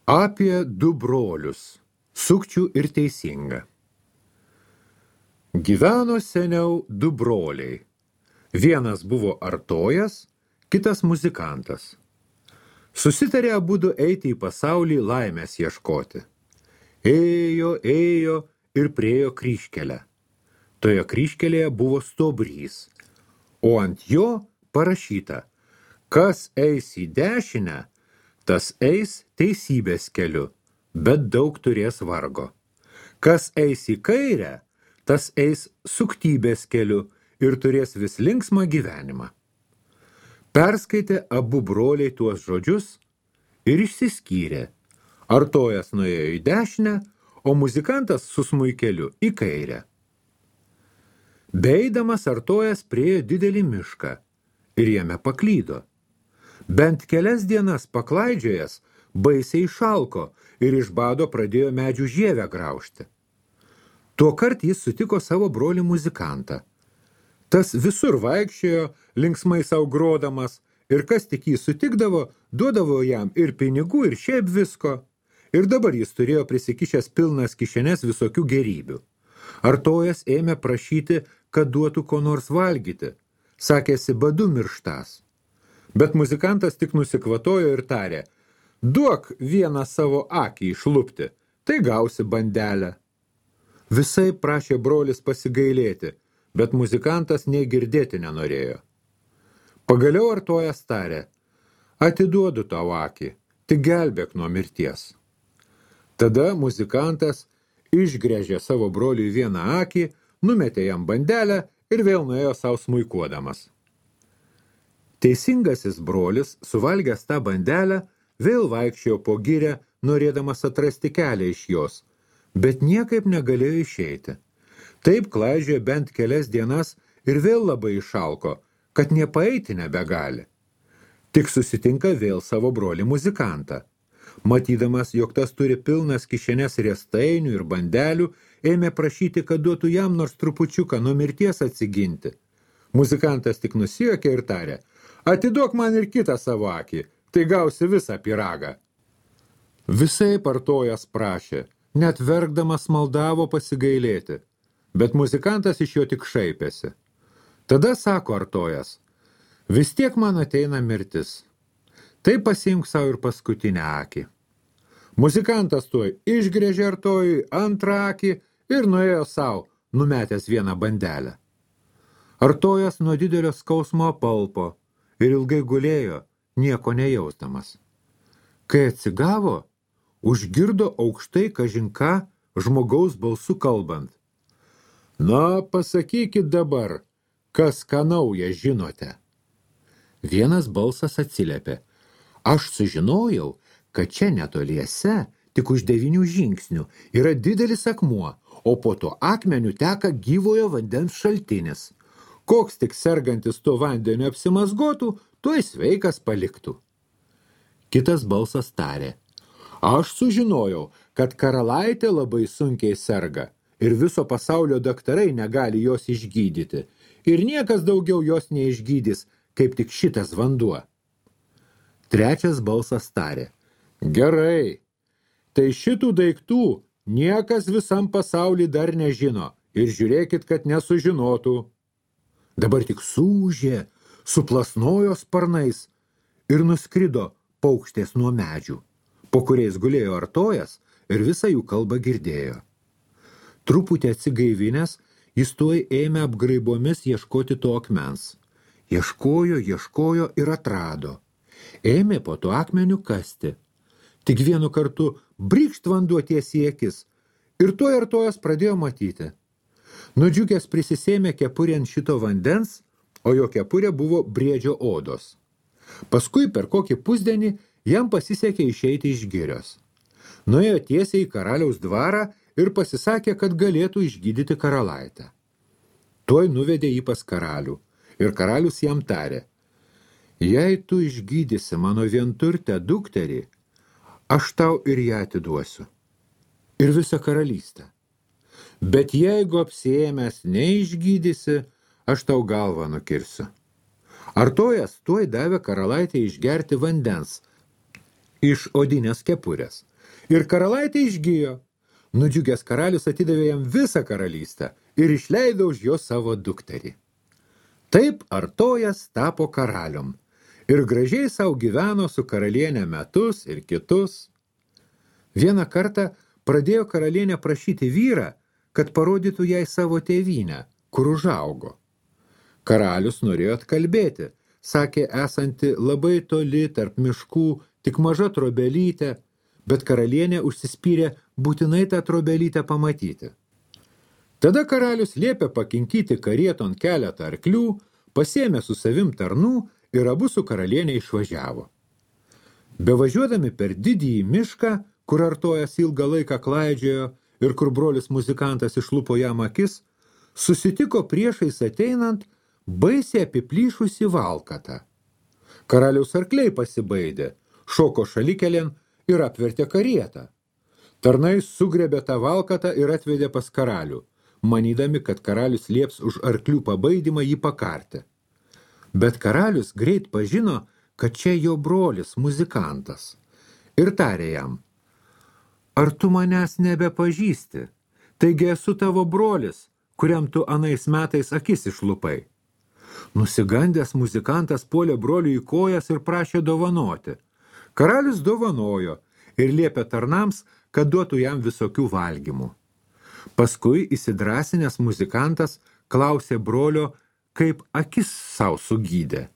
Apie du brolius – Sukčių ir Teisingą. Gyveno seniau du broliai. Vienas buvo artojas, kitas muzikantas. Susitarė abudu eiti į pasaulį laimės ieškoti. Ėjo ir priėjo kryžkelę. Toje kryžkelėje buvo stuobrys, o ant jo parašyta: kas eis į dešinę, tas eis teisybės keliu, bet daug turės vargo. Kas eis į kairę, tas eis suktybės keliu ir turės vis linksmą gyvenimą. Perskaitė abu broliai tuos žodžius ir išsiskyrė. Artojas nuėjo į dešinę, o muzikantas su smuikeliu į kairę. Beeidamas artojas priėjo didelį mišką ir jame paklydo. Bent kelias dienas paklaidžiojęs, baisiai šalko ir iš bado pradėjo medžių žievę graužti. Tuokart jis sutiko savo brolį muzikantą. Tas visur vaikščiojo, linksmai sau grodamas, ir kas tik jį sutikdavo, duodavo jam ir pinigų, ir šiaip visko. Ir dabar jis turėjo prisikišęs pilnas kišenes visokių gerybių. Artojas ėmė prašyti, kad duotų ko nors valgyti. Sakėsi, badu mirštas. Bet muzikantas tik nusikvatojo ir tarė: duok vieną savo akį išlupti, tai gausi bandelę. Visai prašė brolis pasigailėti, bet muzikantas nei girdėti nenorėjo. Pagaliau artojas tarė: atiduodu tau akį, tik gelbėk nuo mirties. Tada muzikantas išgręžė savo broliui vieną akį, numetė jam bandelę ir vėl nuėjo savo smuikuodamas. Teisingasis brolis, suvalgęs tą bandelę, vėl vaikščiojo po girią, norėdamas atrasti kelią iš jos, bet niekaip negalėjo išeiti. Taip klaidžiojo bent kelias dienas ir vėl labai išalko, kad nepaeiti nebegali. Tik susitinka vėl savo brolį muzikantą. Matydamas, jog tas turi pilnas kišenes riestainių ir bandelių, ėmė prašyti, kad duotų jam nors trupučiuką nuo mirties atsiginti. Muzikantas tik nusijuokė ir tarė: atiduok man ir kitą savo akį, tai gausi visą pyragą. Visai artojas prašė, net verkdamas maldavo pasigailėti, bet muzikantas iš jo tik šaipėsi. Tada sako artojas: vis tiek man ateina mirtis, tai pasiimk savo ir paskutinę akį. Muzikantas tuoj išgręžė artojui antrą akį ir nuėjo savo, numetęs vieną bandelę. Artojas nuo didelio skausmo apalpo ir ilgai gulėjo, nieko nejausdamas. Kai atsigavo, užgirdo aukštai kažin ką žmogaus balsu kalbant: na, pasakykit dabar, kas ką nauja žinote. Vienas balsas atsiliepė: aš sužinojau, kad čia netoliese, tik už 9 žingsnių, yra didelis akmuo, o po to akmeniu teka gyvojo vandens šaltinis. Koks tik sergantis tuo vandeniu apsimazgotų, tuoj sveikas paliktų. Kitas balsas tarė: aš sužinojau, kad karalaitė labai sunkiai serga ir viso pasaulio daktarai negali jos išgydyti, ir niekas daugiau jos neišgydys, kaip tik šitas vanduo. Trečias balsas tarė: gerai, tai šitų daiktų niekas visam pasauly dar nežino ir žiūrėkit, kad nesužinotų. Dabar tik sūžė, suplasnojo sparnais ir nuskrido paukštės nuo medžių, po kuriais gulėjo artojas ir visą jų kalbą girdėjo. Truputį atsigaivinęs, jis tuoj ėmė apgraibomis ieškoti to akmens. Ieškojo ir atrado. Ėmė po to akmeniu kasti. Tik vienu kartu brykšt vanduo tiesiai į akis ir tuoj artojas pradėjo matyti. Nudžiugęs prisisėmė kepurę ant šito vandens, o jo kepurė buvo briedžio odos. Paskui per kokį pusdienį jam pasisekė išeiti iš girios. Nuėjo tiesiai į karaliaus dvarą ir pasisakė, kad galėtų išgydyti karalaitę. Tuoj nuvedė jį pas karalių ir karalius jam tarė: jei tu išgydysi mano vienturtę dukterį, aš tau ir ją atiduosiu, ir visą karalystę. Bet jeigu apsiėmęs neišgydysi, aš tau galvą nukirsiu. Artojas tuoj davė karalaitę išgerti vandens iš odinės kepurės, Ir karalaitė išgijo. Nudžiugęs karalius atidavė jam visą karalystę ir išleido už jo savo dukterį. Taip Artojas tapo karalium ir gražiai sau gyveno su karalienė metus ir kitus. Vieną kartą pradėjo karalienė prašyti vyrą, kad parodytų jai savo tėvynę, kur užaugo. Karalius norėjo atkalbėti, sakė esanti labai toli tarp miškų, tik maža trobelytė, bet karalienė užsispyrė būtinai tą trobelytę pamatyti. Tada karalius liepė pakinkyti karieton keletą arklių, pasėmė su savim tarnų ir abu su karalienė išvažiavo. Bevažiuodami per didįjį mišką, kur Artojas ilgą laiką klaidžiojo ir kur brolis muzikantas išlupo jam akis, susitiko priešais ateinant baisiai apiplyšusi valkatą. Karaliaus arkliai pasibaidė, šoko šalikelėn ir apvertė karietą. Tarnai sugrebė tą valkatą ir atvedė pas karalių, manydami, kad karalius lieps už arklių pabaidymą jį pakarti. Bet karalius greit pažino, kad čia jo brolis muzikantas, ir tarė jam: ar tu manęs nebepažįsti? Taigi esu tavo brolis, kuriam tu anais metais akis išlupai. Nusigandęs muzikantas puolė broliui į kojas ir prašė dovanoti. Karalius dovanojo ir liepė tarnams, kad duotų jam visokių valgymų. Paskui įsidrasinęs muzikantas klausė brolio, kaip akis sau sugydė.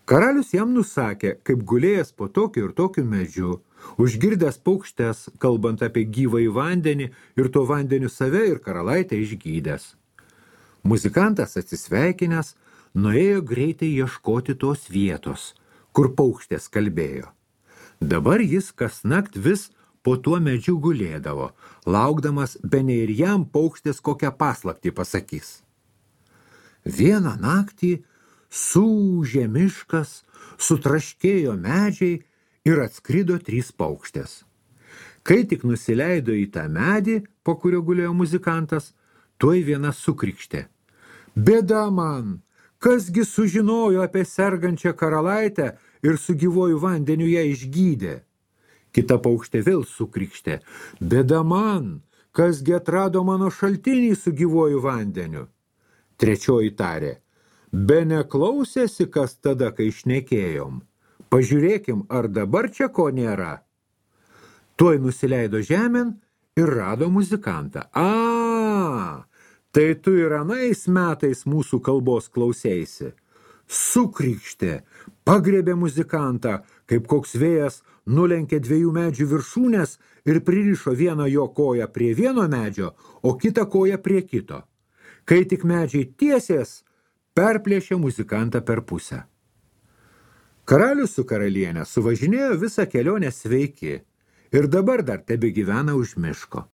Karalius jam nusakė, kaip gulėjęs po tokiu ir tokiu medžiu, užgirdęs paukštes, kalbant apie gyvąjį vandenį ir to vandeniu save ir karalaitę išgydęs. Muzikantas atsisveikinęs, nuėjo greitai ieškoti tos vietos, kur paukštės kalbėjo. Dabar jis kasnakt vis po tuo medžiu gulėdavo, laukdamas bene ir jam paukštės kokią paslaptį pasakys. Vieną naktį suūžė miškas, sutraškėjo medžiai ir atskrido 3 paukštės. Kai tik nusileido į tą medį, po kurio gulėjo muzikantas, tuoj viena sukrikštė: bėda man! Kasgi sužinojo apie sergančią karalaitę ir su gyvuoju vandeniu ją išgydė? Kita paukštė vėl sukrikštė: bėda man! Kasgi atrado mano šaltinį su gyvuoju vandeniu? Trečioji tarė: be neklausėsi, kas tada, kai šnekėjom. Pažiūrėkim, ar dabar čia ko nėra. Tuoj nusileido žemėn ir rado muzikantą. Tai tu ir anais metais mūsų kalbos klausėsi. Sukrikštė, pagriebė muzikantą, kaip koks vėjas nulenkė 2 medžių viršūnės ir pririšo vieną jo koją prie vieno medžio, o kitą koją prie kito. Kai tik medžiai tiesės, perplėšė muzikantą per pusę. Karalius su karalienė suvažinėjo visą kelionę sveiki ir dabar dar tebegyvena už miško.